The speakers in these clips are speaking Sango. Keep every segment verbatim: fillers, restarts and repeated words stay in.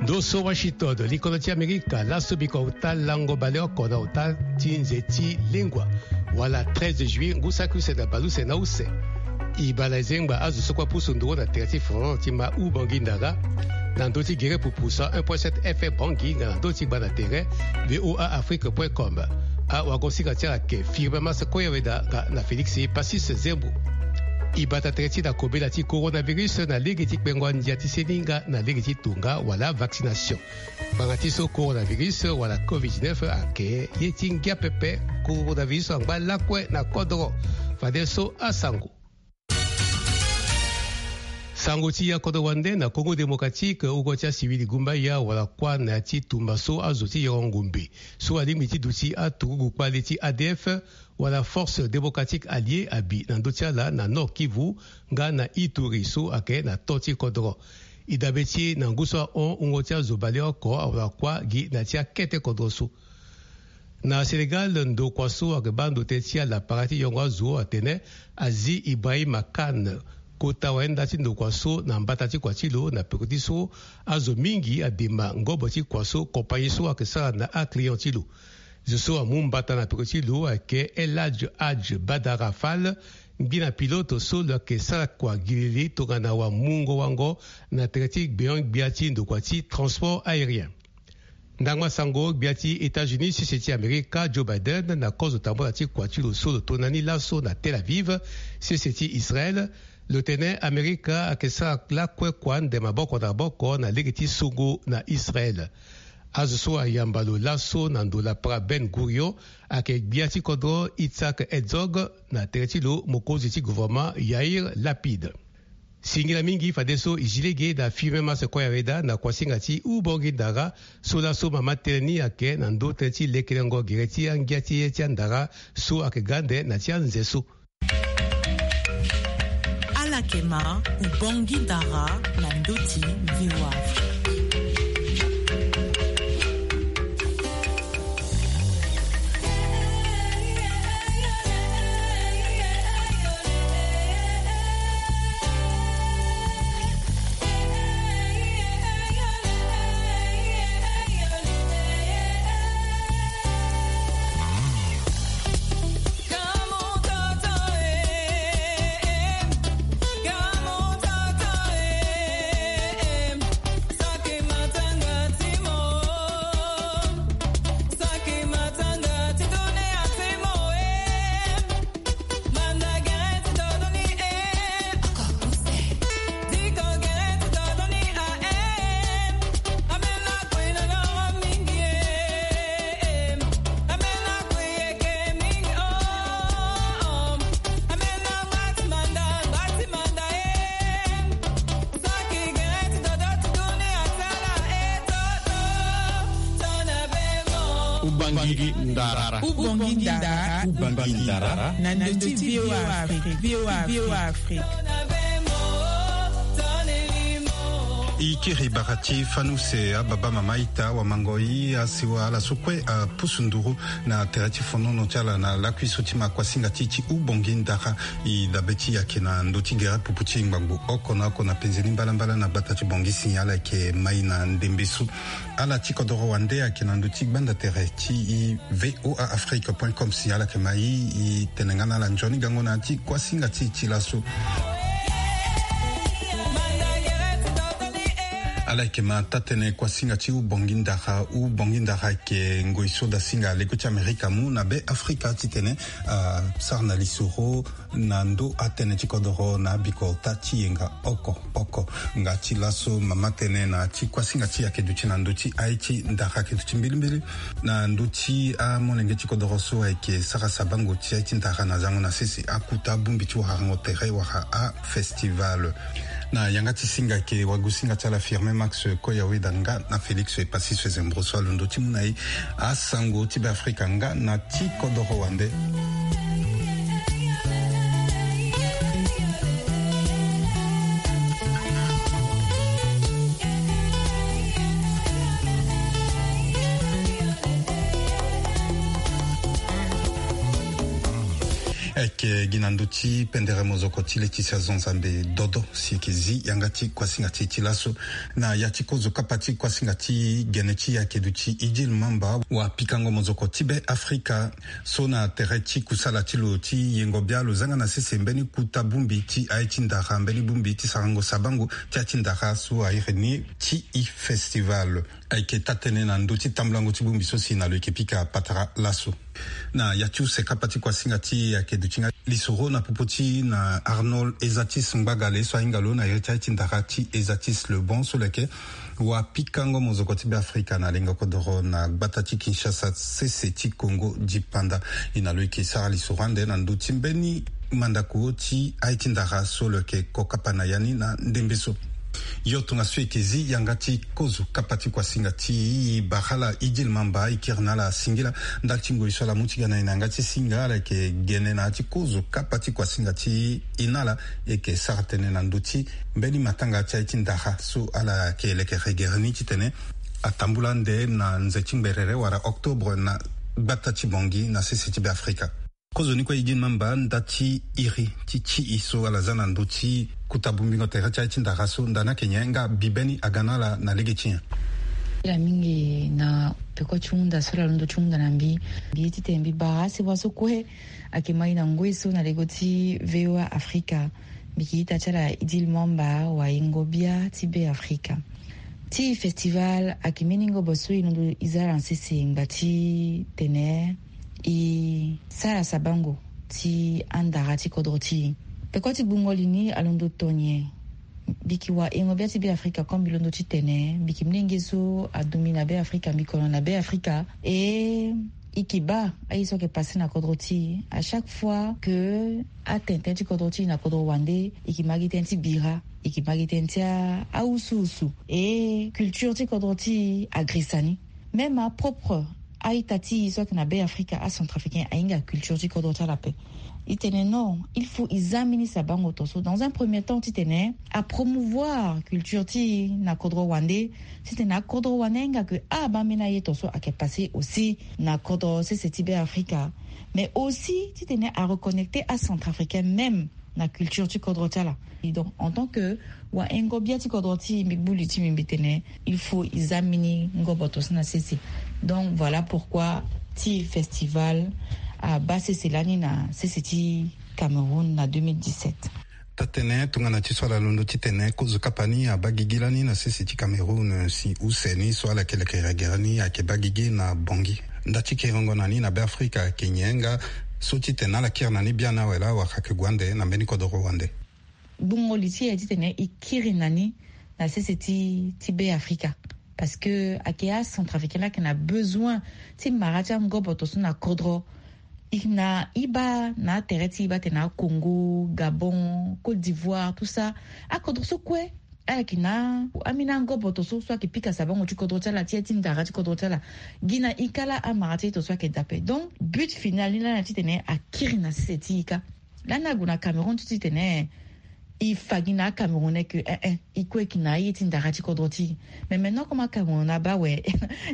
Ndo so Washington, likono ti Amerika, laso biko auta lango baleoko na auta ti nze ti lengua, wala treize juillet, ngu saki use na baleuse na use. E baa na e zengba azo so kue apusu nduru na tere ti foro ti ma u Bangui Ndara, na ndö ti gere pupu cent un point sept F M Bangui, nga na ndö ti gba na tere V O A Afrique point com. Awagosinga ti ala ayeke Firmin Masse Koyaweda nga na Félix Passis Zembo. E bata tere ti na kobela ti coronavirus na lege ti kpengo andia ti seni nga na lege ti tonga wala vaccination. Ngbanga ti so coronavirus wala covid dix-neuf ayeke ye ti ngia pepe. Coronavirus angba lakue na kodoro. Fadeso asango. Sango ti ya kodro wande na Congo Démocratique, oko ti asivili gumbaya wala kuâ na ya ti tumba so azo ti yoro ngombe so alingbi ti duti aturugu kpale ti A D F wala Force Démocratique Alliée abi na ndö ti ala na Nord Kivu nga na Ituri so ayeke na to ti kodro. E dabe ti e na ngu so ahon wungo ti azo baleoko awara kuâ gi na ya ti akete kodro so. Na Sénégal, ndokua so ayeke baa ndo tënë ti ala para ti yongo azo atene Aziz Ibrahima Kane, kota wayenda ti ndokua so na mbata ti kua ti lo na peko ti so azo mingi adema ngobo ti kua so compagnie so ayeke sara na aclient ti lo. Zo so amu mbata na peko ti lo ayeke El Hadj Hadj Badara Fall, ngbina pilote so lo yeke sara kua gilili tongana wamungo wango na tere ti gbeon-gbia ti ndokua ti transport aérien. Ndangba sango, gbia ti États-Unis, sese ti Amerika, Joe Biden, na kozo tambula ti kua ti lo so lo tona ni laso na Tel Aviv, sese ti Israël, lo tene Amerika ayeke sara lakue kua ande maboko na maboko na lege ti songo na Israël. Azo so ayamba lo laso na ndo lapara Ben Gurion ayeke gbia ti kodro Yitzhak Herzog, na tere ti lo mokonzi ti gouvernement Yair Lapid. Singila mingi fadeso e zi lege na Firmin Masse Koyaweda na kuasinga ti U Bangui Ndara, so laso mama tënë ni ayeke na ndö tënë ti lekelengo gere ti angia ti ye ti andara so ayeke ga ande na ti anze so. Ala yeke ma U Bangui Ndara na ndö ti V O A Afrique. Ubangui Ndara. Ubangui Ndara. Ubangui Ndara. Na ndö ti V O A Afrique. V O A Afrique. I kiri bara ti fani use ababa mama ita wamango i asiwa ala so kue apusu nduru na tere ti fonono ti ala na lakui so ti ma kuasinga ti ti Ubangui Ndara. I dabe ti yake na ndö ti gere pupu ti ngbangbo oko na oko na penze ni mbalambala na gbata ti Bangui si ala yeke mai na ndembe so. Ala ti kodoro wande ayeke na ndö ti gbanda tere ti i V O A Afrique point com si ala yeke ma i, i tene nga na ala nzoni gango na ya ti kuasinga ti e ti laso. Ala yeke ma taa-tënë kuasinga ti Ubangui Ndara. Ubangui Ndara ayeke ngoi so dasinga leko ti Amerika amu na be Afrika titene asara na lisoro na ndö atënë ti kodoro na abiko ota ti yenga oko oko. Nga ti laso mama tënë na ti kuasinga ti e ayeke duti na ndö ti aye ti ndara ayeke duti mbilimbili na ndö ti amolenge ti kodoro so ayeke sara sabango ti aye ti ndara na zango na sese, akuta, abongbi ti warango tere wala afestival. Na yanga ti singa ayeke wagosinga ti ala Firmin Max Koyaweda nga na Félix Epassis Fezembro so alondo ti mu na e asango ti Beafrika nga na ti kodoro wande. Ayeke Gi na ndö ti pendere mozoko ti le ti si azo Nzambe dodo si eke zi yanga ti kuasinga ti e ti laso. Na ya ti kozo kapa ti kuasinga ti gene ti e ake duti Idil Mamba, wapikango mozoko ti Be Afrika, so na tere ti kusala ti lo ti yengo bia lo zanga na sese mbeni kuta bongbi ti aye ti ndara, mbeni bongbi ti sarango sabango ti aye ti ndara so a iri ni Ti Festival. Ayeke taa-tënë na ndö ti tambulango ti bongbi so si na lo yeke pika patara laso. Na ya ti use kapa ti kuasinga ti e ayeke duti nga lisoro na popo ti na Arnold Ezatis Ngbagale so ahinga lo na iri ti aye ti ndara ti Ezatis Le Bon so lo yeke wapikango mozoko ti Be Afrika na lengo kodoro na gbata ti Kinshasa sese ti Congo dipanda. E na lo yeke sara lisoro ande na ndö ti mbeni mandako ti aye ti ndara so lo yeke kokapa na ya ni na ndembe so. Yo tongaso e yeke zi yanga ti kozo kapa ti kuasinga ti e, bara ala Idil Mamba, e kiri na ala singila. Ndali ti ngoi so ala mu ti ga na e na yanga ti singa, ala yeke gene na ya ti kozo kapa ti kuasinga ti e na ala. E yeke sara tënë na ndö ti mbeni matanga ti aye ti ndara so ala yeke leke regere ni titene atambula ande na nze ti ngberere wala octobre na gbata ti Bangui na sese ti Be Afrika. Kozoni kue Idil Mamba, nda ti iri ti tii so ala za na ndö ti kuta bongbingo tere ti aye ti ndara so, nda ni ayeke nyen nga mbi beni aga na ala na lege ti nyen? Ila mingi na peko ti hunda so ala londo ti hunda na mbi. Mbi ye titene mbi bara asi wa so kue ayeke ma e na ngoi so na lego ti V O A Afrika. Mbi yeke ita ti ala Idil Mamba, wayengo bia ti Be Afrika. Ti festival ayeke mbeni ngobo so e londo e za ala na sese ngba ti tene e sara sabango ti andara ti kodro ti e. Peko ti gbungo li ni alondo to nyen? Mbi yeke wayengo bia ti Be Afrika, comme mbi londo titene mbi yeke molenge so adomi na Be Afrika, mbi kono na Be Afrika. E e yeke baa aye so ayeke passe na kodro ti e. À chaque fois que atene tënë ti kodro ti e na kodro wande, e yeke ma gi tënë ti bira, e yeke ma gi tënë ti a, awusuwusu. E culture ti kodro ti e agrisa ni. Même apropre a-ita ti e so ayeke na Be Afrika, acentrafricain, ahinga culture ti kodro ti ala ape. E tene non, il faut e za mbeni sabango to so, dans un premier temps, titene apromouvoir culture ti e na kodro wande, titene akodro wande ahinga ke abaa mbeni aye to so ayeke passe aussi na kodro sese ti Be Afrika. Mais aussi titene areconnecter acentrafricain même na culture ti kodro ti ala. Et donc, en tant que wayengo bia ti kodro ti e, mbi gbu li ti mbi, mbi tene il faut e za mbeni ngobo to so na sese. Donc voilà pourquoi ti festival abaa sese lani na sese ti Cameroun na deux mille dix-sept. Taa-tënë tongana ti so ala londo titene kozo kapa ni abaa gigi lani na sese ti Cameroun, si use ni so ala yeke leke regere ni ayeke baa gigi na Bangui. Nda ti kiringo na ni na Be Afrika ayeke nyen nga so titene ala kiri na ni biani awe laa wala ayeke gue ande na mbeni kodoro wande? Gbungo li ti e titene e kiri na ni na sese ti, ti Be Afrika. Parce que ayeke acentrafricain laa ayeke na besoin ti mara ti angobo to so na kodro. E na e baa na atere ti e baa tene aCongo, Gabon, Côte d'Ivoire, tout ça. Akodro so kue ala yeke na ambeni angobo to so, so ayeke pika sabango ti kodro ti ala, ti aye ti ndara ti kodro ti ala. Gi na e ka laa amara ti aye to so ayeke daa ape. Donc but final ni laa na titene akiri na sese ti e ka. Lani ague na Cameroun ti titene e fa gi na aCamerounais ke eh eh, e kue e yeke na aye ti ndara ti kodro ti e. Mais maintenant comme aCameroun abaa awe,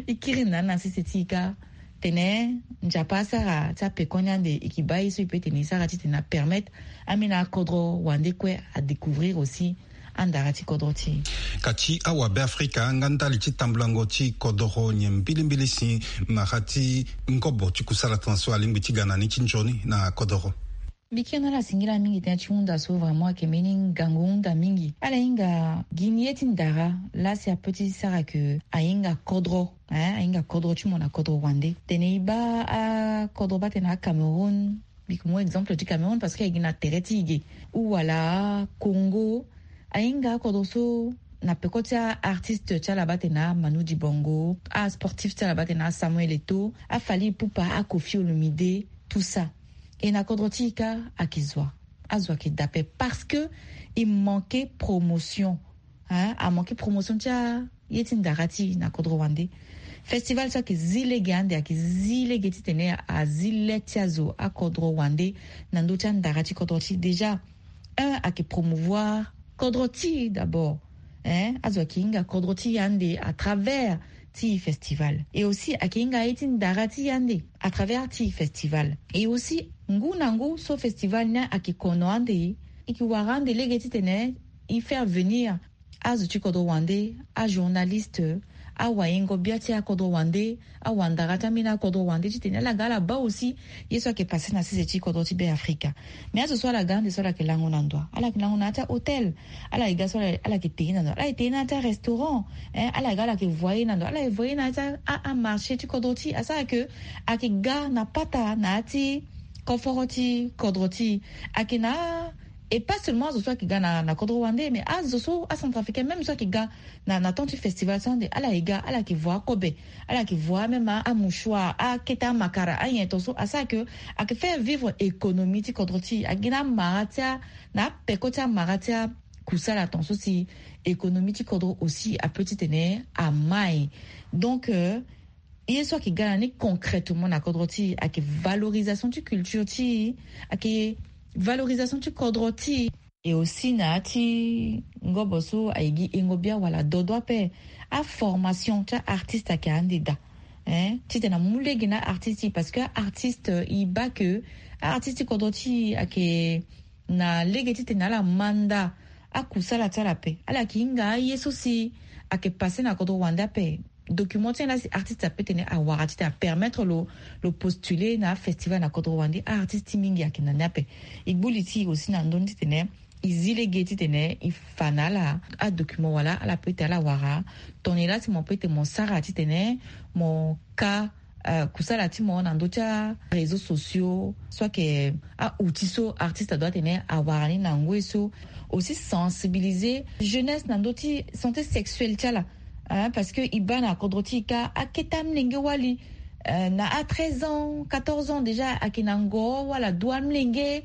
e kiri na ni na sese ti e ka. Tene Nzapa asara ti apekoni ande, e yeke baa ye so e peut tene e sara titene apermettre ambeni akodro wande kue adécouvrir aussi andara ti kodro ti e. Ka ti awa Be Afrika nga ndali ti tambulango ti kodoro, nyen mbilimbili si mara ti ngobo ti kusala tena so alingbi ti ga na ni ti nzoni na kodoro? Mbi kiri na ala singila mingi tënë ti hunda so, vraiment ayeke mbeni ngangu hunda mingi. Ala hinga gi ni ye ti ndara laa si apeut ti sara ke ahinga kodro, hein, ahinga kodro ti mo na kodro wande. Tene e baa akodro baa tene aCameroun, mbi yeke mu exemple ti Cameroun parce que ayeke gi na tere ti e ge, ou wala aCongo. Ahinga akodro so na peko ti aartiste ti ala baa tene aManu Dibango, asportif ti ala baa tene aSamuel Eto'o, aFally Ipupa, aKoffi Olomide, tout ça. E na kodro ti e ka ayeke zo wa? Azo ayeke daa ape parce que e manquer promotion, hein, amanquer promotion ti aye ti ndara ti e na kodro wande. Festival so ayeke zi lege ande, ayeke zi lege titene azi le ti azo akodro wande na ndö ti andara ti kodro ti e. Déjà un, ayeke promouvoir kodro ti e d'abord, hein, azo ayeke hinga kodro ti e ande à travers ti festival. Et aussi ayeke hinga aye ti ndara ti e ande à travers ti festival. Et aussi Ngu na ngu so festival ni ayeke kono ande, e yeke wara ande lege titene e faire venir azo ti kodro wande, ajournaliste, awayengo-bia ti akodro wande, awandara ti ambeni akodro wande titene ala ga ala baa aussi ye so ayeke passe na sese ti kodro ti Be Afrika. Mais azo so ala ga ande so ala yeke lango na ndo, ala yeke lango na ya ti ahôtel. Ala yeke ga so ala yeke te ye na ndo, ala yeke te ye na ya ti arestaurant. Ala yeke ga ala yeke voye na ndo, ala yeke voye na ya ti amarché ti kodro ti e. Asara ke ayeke ga na pata na ya ti koforo ti kodro ti e. Ayeke na, et pas seulement azo so ayeke ga na kodro wande, mais azo so acentrafricain même so ayeke ga na temps ti festival so ande ala yeke ga ala yeke voye akobe, ala yeke voye même amouchoir, akete amakara, anyen ton so asara ke ayeke faire vivre économie ti kodro ti e. Ayeke gi na amara ti a, na apeko ti amara ti akusala ton so si économie ti kodro aussi apeut titene amai. Donc ye so ayeke ga na ni concrètement na kodro ti e ayeke valorisation ti culture ti e, ayeke valorisation ti kodro ti e. Et aussi na ya ti ngobo so ayeke gi engo bia wala dodo ape, aformation ti aartiste ayeke ande daa. Titene amu lege na aartiste ti e parce que aartiste e baa ke aartiste ti kodro ti e ayeke na lege titene ala manda akusala ti ala ape. Ala yeke hinga aye so si ayeke passe na kodro wande ape. Document ti en la si artiste apeut tene awara titene apermettre lo, lo postuler na afestival na kodro wande. Aartiste ti mingi ayeke na ni ape. E gbu li ti e aussi na ndö ni titene e zi lege titene e fa na ala adocument wala ala peut ti ala wara. Tongana la si mo peut ti mo sara titene mo ka kusala ti mo na ndö ti aréseaux sociaux so ayeke aoutil so artiste adoit tene awara ni na ngoi so. Aussi sensibiliser jeunesse na ndö ti santé sexuelle ti ala. Parce que e baa na kodro ti e ka akete amlenge wali na a treize ans, quatorze ans déjà ayeke na ngo wala du amlenge.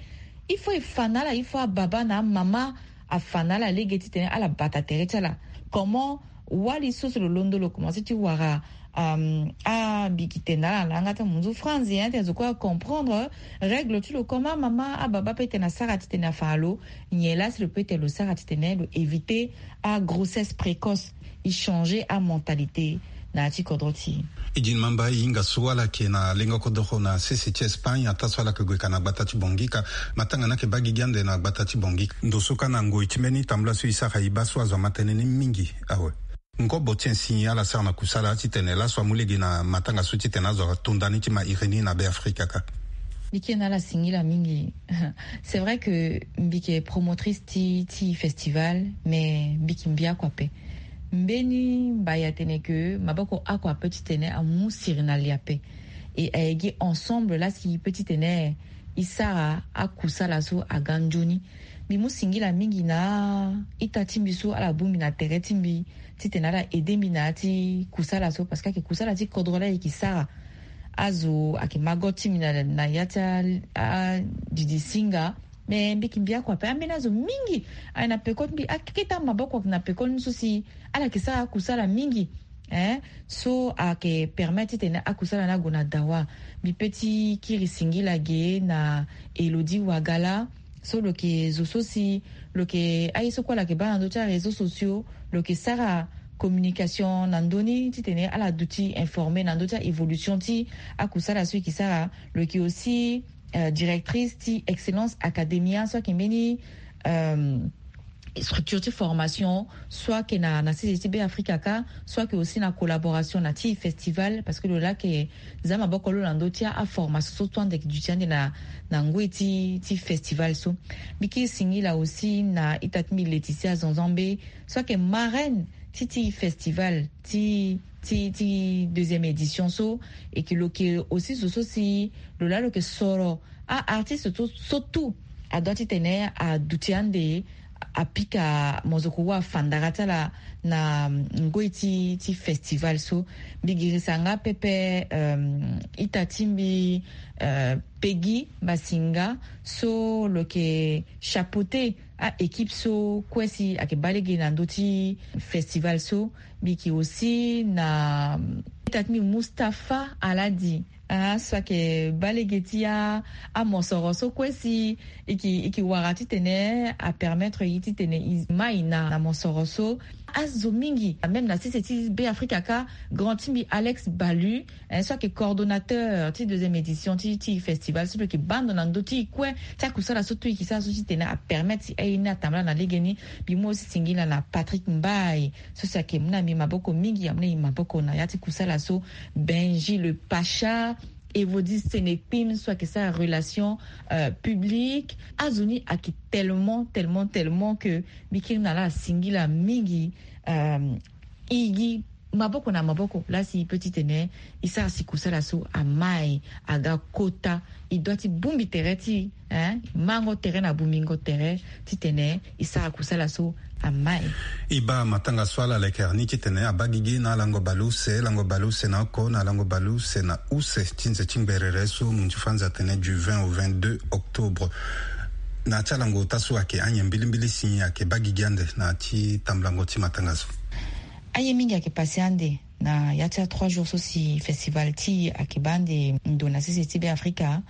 Il faut e fa na ala, il faut ababa na amama afa na ala lege titene ala bata tere ti ala. Comment wali so si lo londo lo komanse ti wara abikite na ala na yanga ti amunzu franzi, hein, titene zo kue acomprendre règle ti lo. Comment mama ababa peut tene asara titene afa na lo nyen la si lo peut tene lo sara titene lo éviter agrossesse précoce. E changer amentalité na ya ti kodro ti e. E di ni mamba e hinga so ala yeke na lengo kodoro na sese ti Espagne ataa so ala yeke gue ka na gbata ti Bangui ka. Matanga ni ayeke baa gigi ande na gbata ti Bangui ka. Ndo so ka na ngoi ti mbeni tambula so e sara e baa so azo ama tënë ni mingi awe. Ngobo ti nyen si ala sara na kusala titene laso amu lege na matanga so titene azo ato nda ni ti ma iri ni na Be Afrika ka? Mbi ke na ala singila mingi. C'est vrai que mbi yeke promotrice ti, ti festival, mais mbi yeke mbi oko ape. Mbeni mbai atene ke maboko oko ape titene amu siri na li ape. Et ayeke gi ensemble la si e peut titene e sara akusala so aga nzoni. Mbi mu singila mingi na ita ti mbi so ala bongbi na tere ti mbi titene ala aider mbi na ya ti kusala so, parce que ayeke kusala ti kodro la e yeke sara. Azo ayeke mago ti mbi na, na ya ti a, a, didi singa. Mais mbi yeke mbi oko ape, ambeni azo mingi aye na peko ti mbi, akete amaboko na peko ni so si ala yeke sara akusala mingi, hein, so ayeke permettre titene akusala ni ague na dawa. Mbi peut ti kiri singila ge na Elodie Wagala, so lo yeke zo so si lo yeke aye so kue ala yeke baa na ndö ti aréseaux sociaux, lo yeke sara communication na ndö ni titene ala duti informer na ndö ti a-évolution ti akusala so e yeke sara. Lo yeke aussi euh, directrice ti Excellence Academia, so ayeke mbeni, euh, structure ti formation, so ayeke na, na sese ti Be Afrika ka, so ayeke aussi na collaboration na ti festival, parce que lo laa ayeke za maboko lo na ndö ti aformation so tout ande ayeke duti ande na, na ngoi ti, ti festival so. Mbi ke singila aussi na ita ti mbi Laetitia Zanzambe, so ayeke marraine ti, ti festival ti, ti, ti deuxième édition so. E ke lo yeke aussi zo so si lo laa lo yeke soro a-artiste so, so tout adoit titene aduti ande apika mozoko wa afandara ti ala na ngoi ti, ti festival so. Mbi girisa nga pepe, euh, ita ti mbi, euh, Peggy Basinga, so lo yeke chapeauter a-équipe so kue si ayeke baa lege na ndö ti festival so. Mbi yeke aussi na ita ti mbi Mustapha Aladi, Ah, so ayeke baa lege ti amosoro so kue si e yeke wara titene apermettre ye titene e mai na mosoro so. Azo mingi même na sese ti Be Afrika kâ, grand ti mbi Alex Balu, so ayeke coordonnateur ti deuxième édition ti festival so lo yeke baa ndo na ndö ti e kue ti akusala so tout e yeke sara so titene apermettre si aye ni atambula na legeni. Mbi mu aussi singila na Patrick Mbaye so si ayeke mu na mbi maboko mingi, amu na e maboko na ya ti kusala so. Benji le Pacha, Evodis Senekpim so ayeke sara relation publique. Azo ni ayeke tellement tellement tellement que mbi kiri na ala singila mingi. E gi maboko na maboko laa si e peut titene e sara si kusala so amai aga kota. E doit ti bongbi tere ti e, mango tere na bongbingo tere titene e sara kusala so amai. E baa matanga so ala lekere ni titene abaa gigi na alango baleuse, lango baleuse na oko na lango baleuse na use ti nze ti ngberere so munzu fanza atene du vingt au vingt-deux octobre. Na ya ti alango ota so ayeke anyen mbilimbili si ayeke baa gigi ande na ya ti tambulango ti matanga so. Aye mingi ayeke pase ande na ya ti a trois jours so si festival ti e ayeke baa ande ndo na sese ti Be Afrika.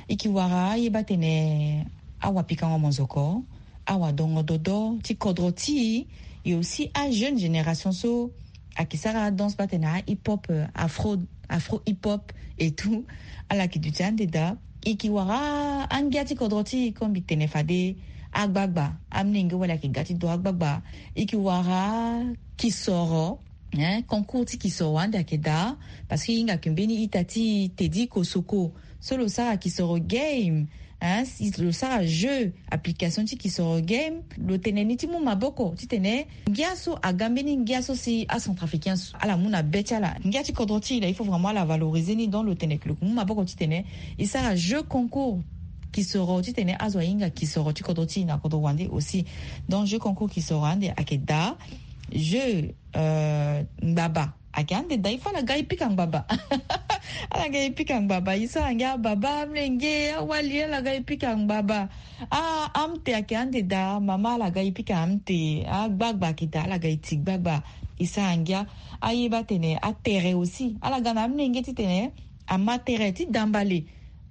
E yeke wara aye baa tene awapikango monzoko, awadongo dodo ti kodro ti e, e aussi ajeune génération so ayeke sara adanse baa tene ahip-hop, afro, afro hip-hop et tout. Ala yeke duti ande daa. E yeke wara angia ti kodro ti e comme mbi tene fade, agbagba, amolenge wala ayeke ga ti do agbagba. E yeke wara kisoro, concours ti kisoro ande ayeke daa. Parce que e hinga yeke mbeni ita ti e Teddy Kosoko so lo sara kisoro game, lo sara jeu, application ti kisoro game. Lo tene ni ti mu maboko titene ngia so aga mbeni ngia so si acentrafricain so ala mu na be ti ala. Ngia ti kodro ti e laa il faut vraiment ala valoriser ni. Donc lo tene ke lo ke mu maboko titene e sara jeu concours kisoro titene azo ahinga kisoro ti kodro ti e na kodro wande aussi. Donc jeu concours kisoro ande ayeke daa. Jeu ngbaba ayeke ande daa. Il faut ala ga e pika ngbaba. Ala ga e pika ngbaba. E sara ngia baba, amolenge, awali, ala ga e pika ngbaba. Ah, amte ayeke ande daa, mama, ala ga e pika amte. Agbagba ayeke daa, ala ga e ti gbagba. E sara ngia. Aye baa tene atere aussi ala ga na amolenge titene ama tere ti dambale.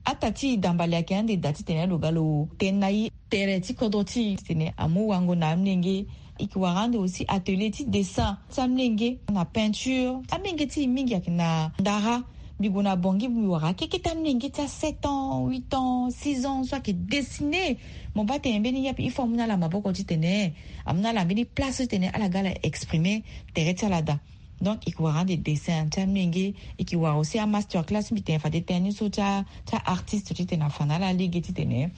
Ata ti e dambale ayeke ande daa titene lo ga lo tene na e tere ti kodro ti e titene amu wango na amolenge. E yeke wara ande aussi atelier ti dessin ti amolenge na peinture. Amolenge ti e mingi ayeke na ndara. Mbi gue na Bangui, mbi wara akekete amolenge ti a sept ans, huit ans, six ans so ayeke dessiner. Mo baa tene mbeni yape il faut amu na ala maboko titene amu na ala mbeni place titene ala ga ala exprimer tere ti ala daa. Donc e ke wara ande dessin ti amolenge. E ke wara aussi amaster class, mbi tene fade tënë ni so ti a, ti aartiste titene afa na ala lege titene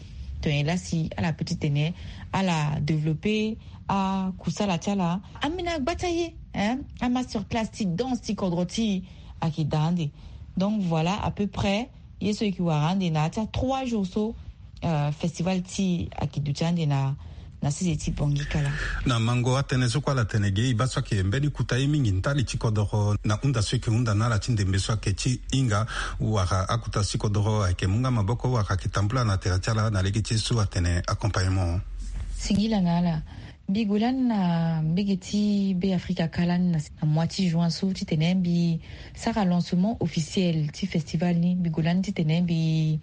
tongana e laa si ala peut titene ala développer akusala ti ala. Ambeni agba ti aye, amaster class ti danse ti kodro ti e ayeke daa ande. Donc voilà à peu près ye so e ke wara ande na ya ti a trois jours so. Festival ti e ayeke duti ande na na sese ti Bangui kala. Na mango atënë so kue ala tene ge, e baa so ayeke mbeni kota ye mingi ndali ti kodoro na hunda so e ke hunda na ala ti ndembe so ayeke ti hinga wala akota ti kodoro ayeke mu nga maboko wala ayeke tambula na tere ti ala na lege ti ye so atene accompagnement. Singila na ala. Mbi gue lani na mbege ti Be Afrika kala ni na mois ti juin so titene mbi sara lancement officiel ti festival ni. Mbi gue lani titene mbi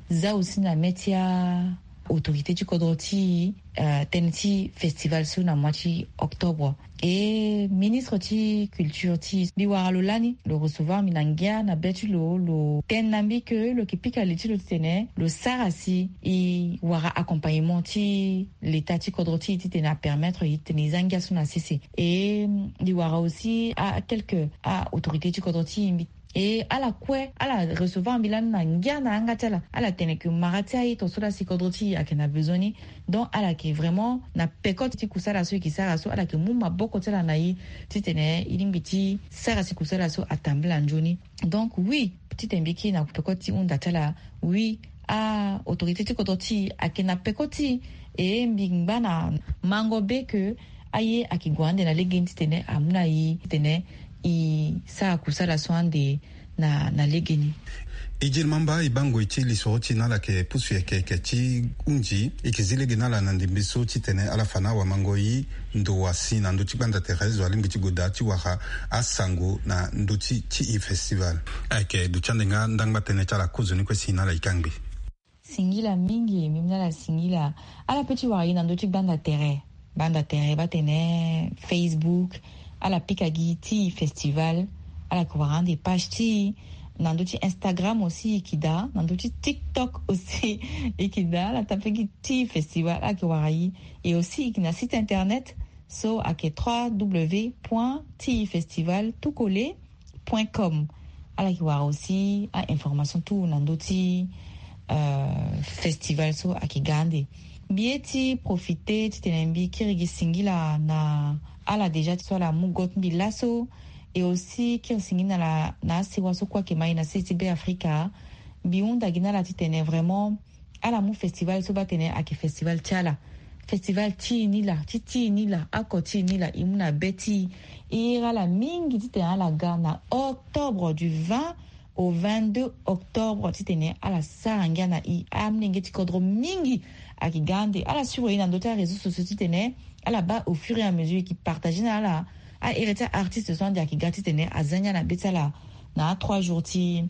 za aussi na mê ti a autorité ti kodro ti e tënë ti festival so na mois ti octobre. E ministre ti culture ti e mbi wara lo lani, lo recevoir mbi na ngia na be ti lo, lo tene na mbi ke lo yeke pika li ti lo titene lo sara si e wara accompagnement ti l'état ti kodro ti e titene apermettre e titene e za ngia so na sese. E mbi wara aussi a quelque a autorité ti kodro ti e mbi e ala kue ala recevoir mbi lani na ngia na yanga ti ala. Ala tene ke mara ti aye tongaso laa si kodro ti e ayeke na besoin ni. Donc ala yeke vraiment na peko ti kusala so e yeke sara so, ala yeke mu maboko ti ala na e titene e lingbi ti sara si kusala so atambula nzoni. Donc oui, titene mbi kiri na peko ti hunda ti ala. Oui, a autorité ti kodro ti e ayeke na peko ti e. E mbi ngba na mango be ke aye ayeke gue ande na legeni titene amu na e titene e sara kusala so ande na na legeni. Idjil mamba e baa ngoi ti lisoro ti e na ala yeke pusu yeke yeke ti hunzi e yeke zi lege na ala na ndembe so titene ala fa na awamangoi ndo wa si na ndö ti gbanda tere zo alingbi ti gue daa ti wara asango na ndö ti ti e festival. Ayeke duti ande nga ndangba tënë ti ala kozoni kue si na ala e kangbi. Singila mingi mimi na ala singila. Ala pe ti wara gi na ndö ti gbanda tere gbanda tere batene facebook. Ala pika gi ti festival. Ala ke wara ande page ti na ndö ti instagram aussi iki daa na ndö ti tiktok aussi iki daa ala ta pe gi ti festival ala ke wara gi. Et aussi iki na site internet so ake trois w point ti festival tout colle point com. Ala ke wara aussi a information tout na ndö ti festival so ake ga ande. Mbi ye ti profite titene mbi kiri gi singila na ala déjà ti so ala mu go ti mbi laso. Et aussi kiri singila na asewa so kue ake ma e na sese ti be afrika. Mbi hunda gi na ala titene vraiment ala mu festival so batene ake festival ti ala. Festival ti e ni laa ti ti e ni laa ako ti e ni laa e mu na be ti e. E iri ala mingi titene ala ga na octobre du vingt au vingt-deux octobre titene ala sara ngia na e. Amolenge ti kodro mingi ake ga ande ala suivre e na ndö ti aréseau sociaux titene ala baa au fur et à mesure e ke partage na ala. Ahere ti aartiste so ande ake ga titene aza ngia na be ti ala na atrois jours ti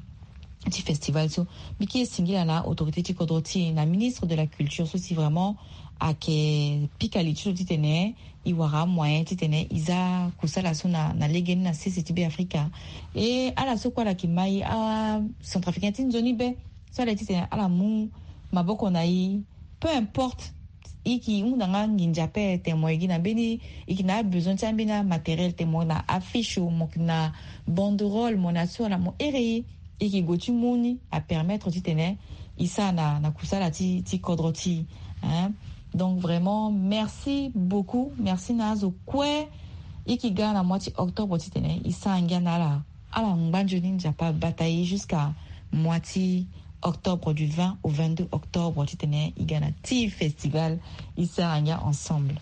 ti festival so. Mbi ke singila na autorité ti kodro ti e na ministre de la culture so si vraiment ake pika li ti lo titene e wara amoyen titene e za kusala so na na legeni na sese ti be afrika. E ala so kue ala ke ma e acentrafricain ti nzoni be so ala ye titene ala mu maboko na e. Peu importe e ke hunda nga nginza ape tene mo ye gi na mbeni e ke na abesoin ti ambeni amatériel tene mo na affiche mo ke na banderole mo na so ala mo here e e ke gue ti mu ni apermettre titene e sara na na kusala ti ti kodro ti e. Donc vraiment merci beaucoup merci na azo kue. E ke ga na mois ti octobre titene e sara ngia na ala ala ngba nzoni nzapa bata e jusqu'à mois ti octobre du vingt au vingt-deux octobre titene e ga na ti festival. E sara ngia ensemble.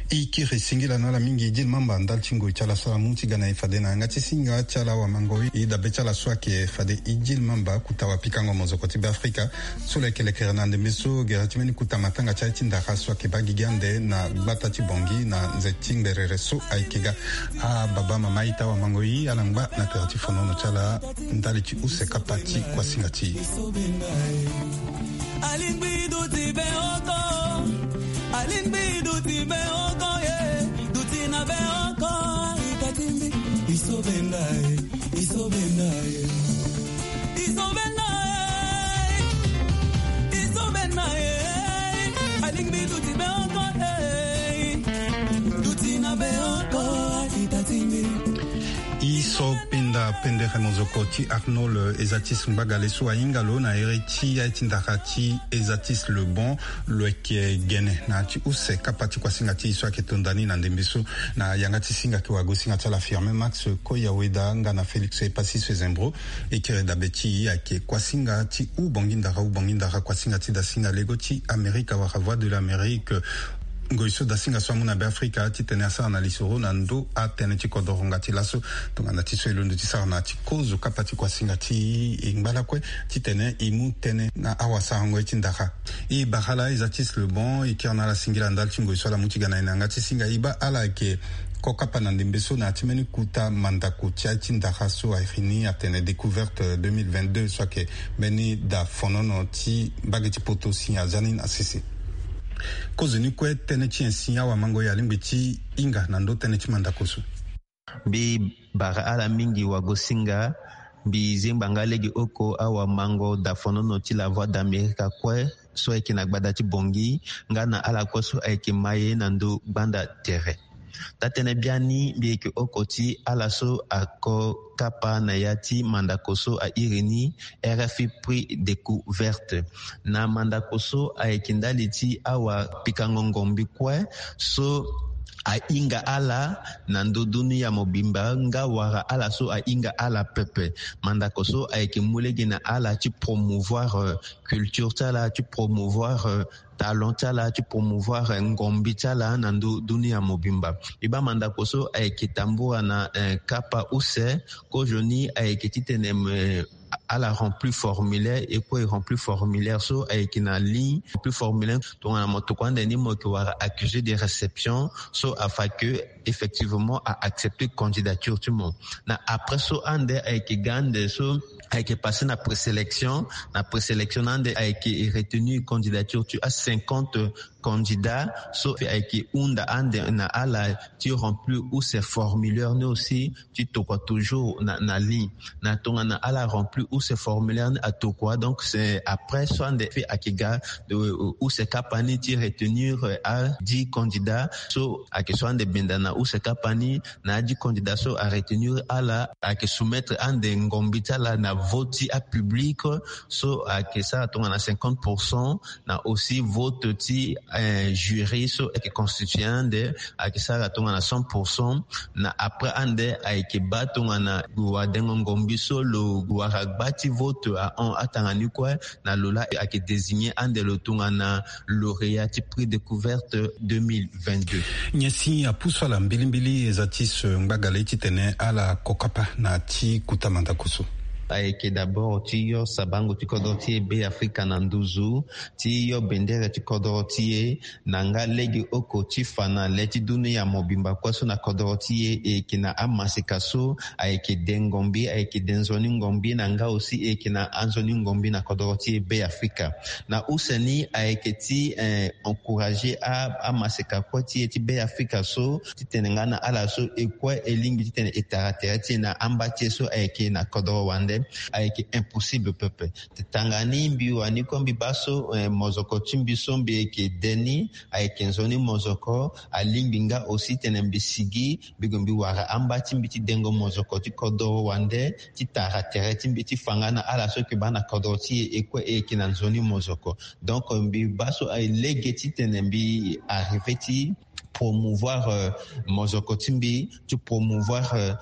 E kiri singila na ala mingi e di mamba ndali ti ngoi ti ala so ala mu ti ga na e fade na yanga ti singa ti ala awamangoi e dabe ti ala so ake fade e di mamba kuta wapikango mozoko ti be afrika. So lo yeke lekere na ndembe so gere ti mbeni kuta matanga ti aye ti ndara so ake baa gigi ande na gbata ti bongi na nze ti ngberere so ayeke ga. Ababa mama ita wamangoi ala ngba na tere ti fonono ti ala ndali ti use kapa ti kuasinga ti e. Alingbi duti be oko. Alingbi duti be oko ye. Duti na be oko. Ita ti mbi. Iso be nga ye. Iso be nga ye. Iso be nga ye. Iso be nga ye. Alingbi duti be oko ye. Duti na be oko. Ita ti mbi. E so pinda pendere mozoko ti arnold ezatis ngbagale so ahinga lo na here ti aye ti ndara ti ezatis lebon. Lo yeke gene na ya ti use kapa ti kuasinga ti e so ayeke tonda ni na ndembe so. Na yanga ti singa ayeke wagosinga ti ala firme max koyaweda nga na félix epassis fezembro. E kiri dabe ti e ayeke kuasinga ti hubongi ndara hubongi ndara kuasinga ti dasinga lego ti amerika wala voie de l'amérique. Ngoi so dasinga so amu na be afrika titene asara na lisoro na ndö atënë ti kodoro nga ti laso. Tongana ti so e londo ti sara na ya ti kozo kapa ti kuasinga ti e ngbalakue titene e mu tënë na awasarango ye ti ndara. E bara ala ezatis lebon e kiri na ala singila ndali ti ngoi so ala mu ti ga na e na yanga ti singa e baa ala yeke kokapa na ndembe so na ya ti mbeni kuta mandako ti aye ti ndara so airi ni atene découverte deux mille vingt-deux so ayeke mbeni da fonono ti mbage ti poto si aza ni na sese. Kozoni kue tënë ti nyen si awamango ye alingbi ti hinga na ndö tënë ti mandako so? Mbi bara ala mingi wagosinga. Mbi zengba nga lege oko awamango dafonono ti la voie d'amerika kue so ayeke na gbada ti bongi nga na ala kue so ayeke maye na ndö gbanda tere. Taa-tënë biani mbi yeke oko ti ala so ako kapa na ya ti mandako so airi ni rfi prix découverte. Na mandako so ayeke ndali ti awapikango ngombi kue so ahinga ala na ndö dunia mobimba nga wala ala so ahinga ala pepe. Mandako so ayeke mu lege na ala ti promouvoir culture ti ala, ti promouvoir talent ti ala, ti promouvoir ngombi ti ala na ndö dunia mobimba. Mbi baa mandako so ayeke tambula na kapa use. Kozoni ayeke titene ala remplir formulaire, e kue e remplir formulaire so ayeke na ligne. Remplir formulaire tongana mo tokua ande ni mo yeke wara accusé de réception so afa ke effectivement a accepter candidature ti mo. Na après so ande ayeke ga ande so ayeke passer na présélection. Na présélection na ande ayeke retenir candidature ti a cinquante candidat so ayeke hunda ande na ala ti remplir use formulaire ni aussi ti tokua toujours na, na ligne. Na tongana ala remplir use formulaire ni atokua, donc c'est après so ande fait ayeke ga use kapa ni ti retenir a dix candidat so ayeke so ande benda na use kapa ni. Na a dix candidat so aretenir ala ayeke soumettre ande ngombi ti ala na vote ti apublic so ayeke sara tongana cinquante pour cent. Na aussi vote ti jury so ayeke constituer ande ayeke sara tongana cent pour cent. Na après ande ayeke baa tongana wadengo ngombi so lo wara gba ti vote ahon atanga ni kue. Na lo laa ayeke désigner ande lo tongana lauréat ti prix découverte deux mille vingt-deux. Nyen si apusu ala mbilimbili eza ti so ngbagale titene ala kokapa na ti kuta mandako so? Ayeke d'abord ti yo sabango ti kodro ti e Be Afrika na nduzu, ti yo bendere ti kodro ti e, na nga lege oko ti fa na le ti dunia mobimba kue so na kodro ti e. E yeke na amaseka so ayeke de ngombi, ayeke de nzoni ngombi na nga aussi e yeke na anzoni ngombi na kodro ti e Be Afrika. Na use ni ayeke ti encourager amaseka kue ti e ti Be Afrika so titene nga na ala so e kue e lingbi titene e tara tere ti e na amba ti e so ayeke na kodro wande. Ayeke impossible pepe. Tanga ni mbi wani kue mbi baa so mozoko ti mbi so mbi yeke de ni ayeke nzoni mozoko. Alingbi nga aussi titene mbi sigi mbi gue mbi wara amba ti mbi ti dengo mozoko ti kodro wande ti tara tere ti mbi ti fa nga na ala so yeke baa na kodro ti e e kue e yeke na nzoni mozoko. Donc mbi baa so lege titene mbi arriver ti promouvoir mozoko ti mbi, ti promouvoir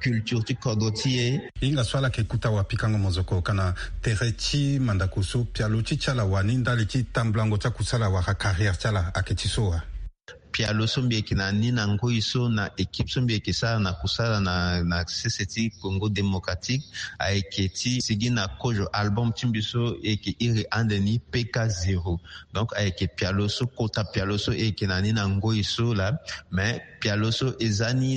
culture ti kodro ti e. Hinga so ala yeke kuta wapikango mozoko ka na tere ti mandako so pialo ti ti ala wani ndali ti tambulango ti akusala wala carrière ti ala ayeke ti so wa? Pialo so mbi yeke na ni na ngoi so na équipe so mbi yeke sara na kusala na sese ti Congo Démocratique ayeke ti sigi na kozo album ti mbi so e yeke iri ande ni P K zéro. Donc ayeke pialo so kota pialo so e yeke na ni na ngoi so laa. Mais pialo so eza ni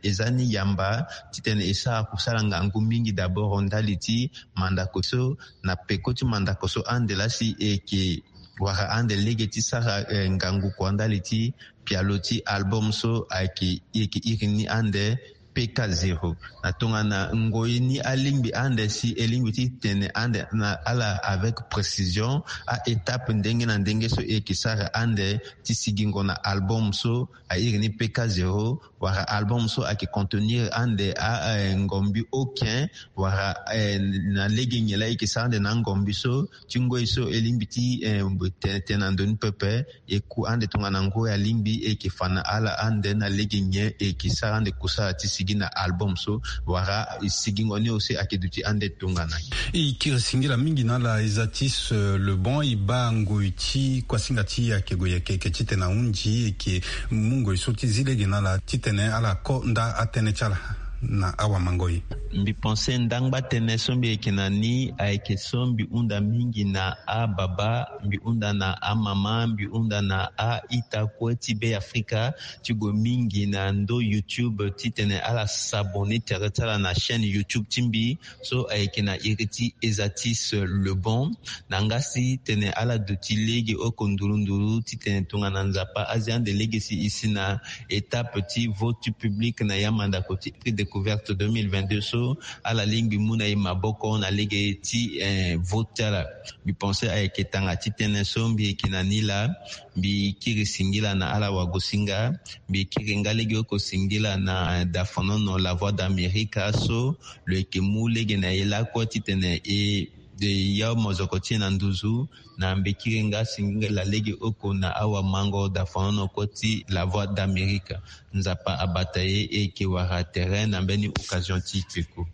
eza ni yamba titene e sara kusala ngangu mingi d'abord ndali ti mandako so na peko ti mandako so ande laa si e yeke wara ande lege ti sara ngangu kua ndali ti pialo ti album so ayeke e yeke iri ni ande P K zéro. Na tongana ngoi ni alingbi ande si e lingbi ti tene ande na ala avec précision a étape ndenge na ndenge so e yeke sara ande ti sigingo na album so a iri ni P K zéro. Wala album so ayeke contenir ande a ngombi okin wala na lege nyen laa e yeke sara ande na angombi so ti ngoi so e lingbi ti tene tene na ndoni pepe. E ku ande tongana ngoi alingbi e yeke fa na ala ande na lege nyen e yeke sara ande kusala ti sigi na album so wala e sigingo ni aussi ayeke duti ande tongana. E kiri singila mingi na ala eza ti se le bon e baa ngoi ti kuasinga ti e ayeke gue yeke yeke titene ahunzi e yeke mu ngoi so ti zi lege na ala titene ala ko nda atënë ti ala na awamangoi. Mbi pense ndangba tënë so mbi yeke na ni ayeke so mbi hunda mingi na ababa, mbi hunda na amama, mbi hunda na a-ita kue ti Be Afrika ti gue mingi na ndö YouTube titene ala s'abonner tere ti ala na chaîne YouTube ti mbi so ayeke na iri ti Ezatis Le Bon. Na nga si tene ala duti lege oko nduru nduru titene tongana Nzapa azi ande lege si e si na étape ti vote ti public na ya mandako ti prix découverte deux mille vingt-deux so, ala lingbi mu na e maboko na lege ti vote ti ala. Mbi pense ayeke tanga ti tënë so mbi yeke na ni laa. Mbi kiri singila na ala wagosinga. Mbi kiri nga lege oko singila na dafonono La Voix d'Amerique so lo yeke mu lege na e lakue titene e De ya mozoko ti e na nduzu na mbekiri nga singila lege oko na awamango da fanono koti La Voix d'Amérique. Nzapa abata ye e ke wara terrain na mbeni occasion ti peko.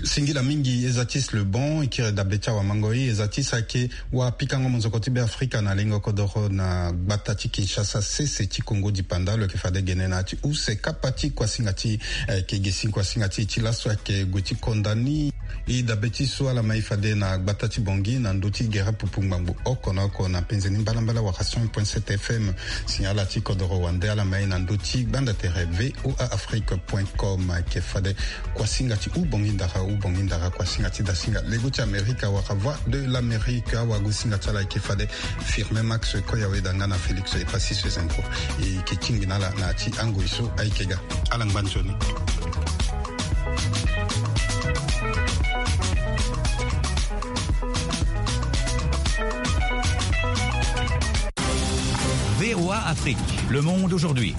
Singila mingi. Eza ti si le bon e kiri dabe ti awamango e eza ti si ake wa pikango mozoko ti be afrika na lengo kodoro na gbata ti Kinshasa sese ti Kongo dipanda lo ke fade gene na ti use kapa ti kuasinga ti eh, ke gesi kuasinga ti ti laso ake gue ti konda ni. E dabe ti so ala mai fade na gbata ti Bongi na ndö ti gere pupu ngbangbo oko na oko na penze ni mbalambala waka cent point sept F M. Signal ti kodoro wande ala mai na ndö ti gbanda tere V O A Afrique point com ake fade kuasinga ti u Bongi ndara u Bongi ndara kuasinga ti dasinga lego ti Amerika waka Voix de l'Amérique awagosinga ti ala ake fade Firmin Max Koyaweda nga na Félix Epassis Zenko. E ke tingbi na ala na ya ti angoi so aye ke ga. Ala ngba nzoni. V O A Afrique, le monde aujourd'hui.